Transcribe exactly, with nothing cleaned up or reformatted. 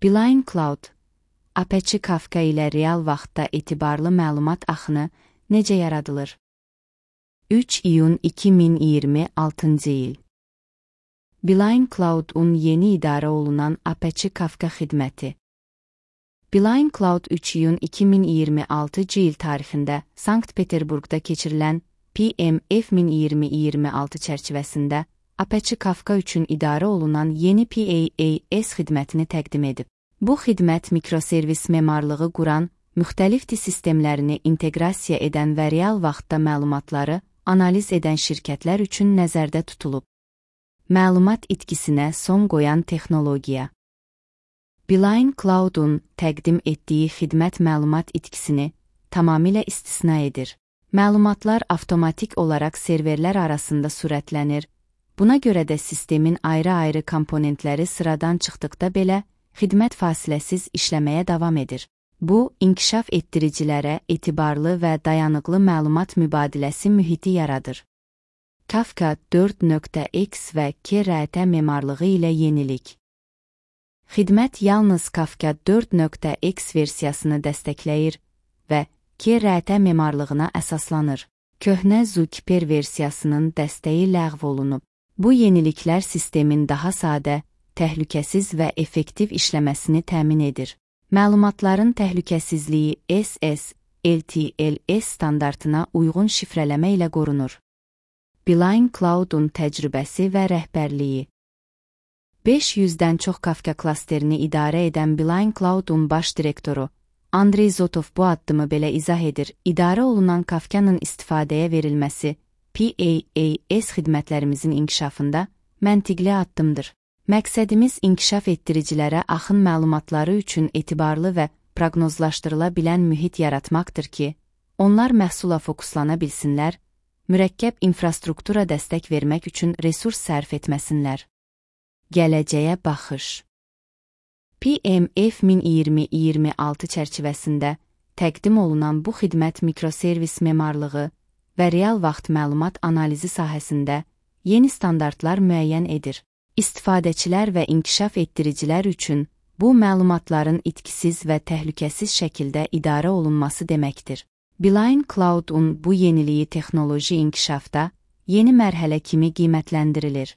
Beeline Cloud, Apache Kafka ilə real vaxtda etibarlı məlumat axını necə yaradılır? üç iyun iki min iyirmi altıncı il. Beeline Cloud-un yeni idarə olunan Apache Kafka xidməti. Beeline Cloud üç iyun iki min iyirmi altıncı il tarixində Sankt-Peterburqda keçirilən P M F min iyirmi iyirmi altı çərçivəsində Apache Kafka üçün idarə olunan yeni P A A S xidmətini təqdim edib. Bu xidmət mikroservis memarlığı quran, müxtəlif sistemlərini inteqrasiya edən və real vaxtda məlumatları analiz edən şirkətlər üçün nəzərdə tutulub. Məlumat itkisinə son qoyan texnologiya. Beeline Cloud-un təqdim etdiyi xidmət məlumat itkisini tamamilə istisna edir. Məlumatlar avtomatik olaraq serverlər arasında sürətlənir. Buna görə də sistemin ayrı-ayrı komponentləri sıradan çıxdıqda belə, xidmət fasiləsiz işləməyə davam edir. Bu, inkişaf etdiricilərə etibarlı və dayanıqlı məlumat mübadiləsi mühiti yaradır. Kafka dörd nöqtə x və K R T memarlığı ilə yenilik. Xidmət yalnız Kafka dörd nöqtə x versiyasını dəstəkləyir və K R T memarlığına əsaslanır. Köhnə Zookeeper versiyasının dəstəyi ləğv olunub. Bu yeniliklər sistemin daha sadə, təhlükəsiz və effektiv işləməsini təmin edir. Məlumatların təhlükəsizliyi S S L T L S standartına uyğun şifrələmə ilə qorunur. Beeline Cloud-un təcrübəsi və rəhbərliyi. beş yüzdən çox Kafka klasterini idarə edən Beeline Cloud-un baş direktoru Andrey Zotov bu addımı belə izah edir. İdarə olunan Kafkanın istifadəyə verilməsi P A A S xidmətlərimizin inkişafında məntiqli addımdır. Məqsədimiz inkişaf etdiricilərə axın məlumatları üçün etibarlı və proqnozlaşdırıla bilən mühit yaratmaqdır ki, onlar məhsula fokuslana bilsinlər, mürəkkəb infrastruktura dəstək vermək üçün resurs sərf etməsinlər. Gələcəyə baxış. P M F min iyirmi iyirmi altı çərçivəsində təqdim olunan bu xidmət mikroservis memarlığı və real vaxt məlumat analizi sahəsində yeni standartlar müəyyən edir. İstifadəçilər və inkişaf etdiricilər üçün bu məlumatların itkisiz və təhlükəsiz şəkildə idarə olunması deməkdir. Beeline Cloud-un bu yeniliyi texnoloji inkişafda yeni mərhələ kimi qiymətləndirilir.